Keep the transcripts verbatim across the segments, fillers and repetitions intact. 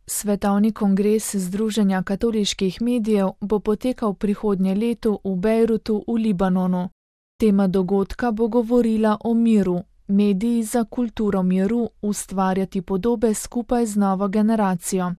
Svetovni kongres Združenja katoliških medijev bo potekal prihodnje leto v Bejrutu v Libanonu. Tema dogodka bo govorila o miru, mediji za kulturo miru, ustvarjati podobe skupaj z novo generacijo.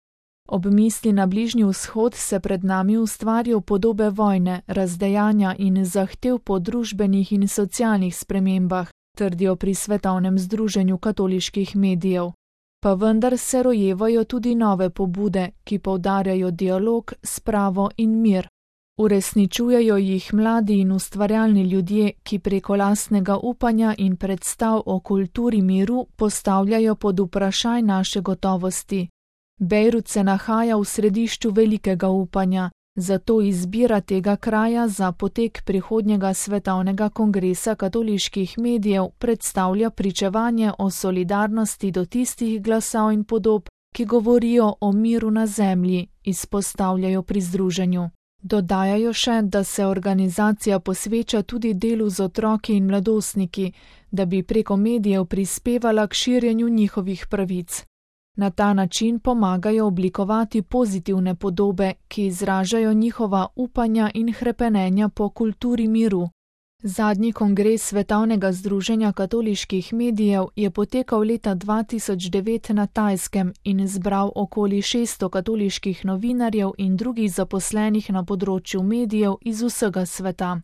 Ob misli na Bližnji vzhod se pred nami ustvarjajo podobe vojne, razdejanja in zahtev po družbenih in socialnih spremembah, trdijo pri Svetovnem združenju katoliških medijev. Pa vendar se rojevajo tudi nove pobude, ki poudarjajo dialog, spravo in mir. Uresničujejo jih mladi in ustvarjalni ljudje, ki preko lastnega upanja in predstav o kulturi miru postavljajo pod vprašaj naše gotovosti. Bejrut se nahaja v središču velikega upanja, zato izbira tega kraja za potek prihodnjega svetovnega kongresa katoliških medijev predstavlja pričevanje o solidarnosti do tistih glasov in podob, ki govorijo o miru na zemlji, izpostavljajo pri združenju. Dodajajo še, da se organizacija posveča tudi delu z otroki in mladostniki, da bi preko medijev prispevala k širjenju njihovih pravic. Na ta način pomagajo oblikovati pozitivne podobe, ki izražajo njihova upanja in hrepenenja po kulturi miru. Zadnji kongres Svetovnega združenja katoliških medijev je potekal leta dva tisoč devet na Tajskem in zbral okoli šeststo katoliških novinarjev in drugih zaposlenih na področju medijev iz vsega sveta.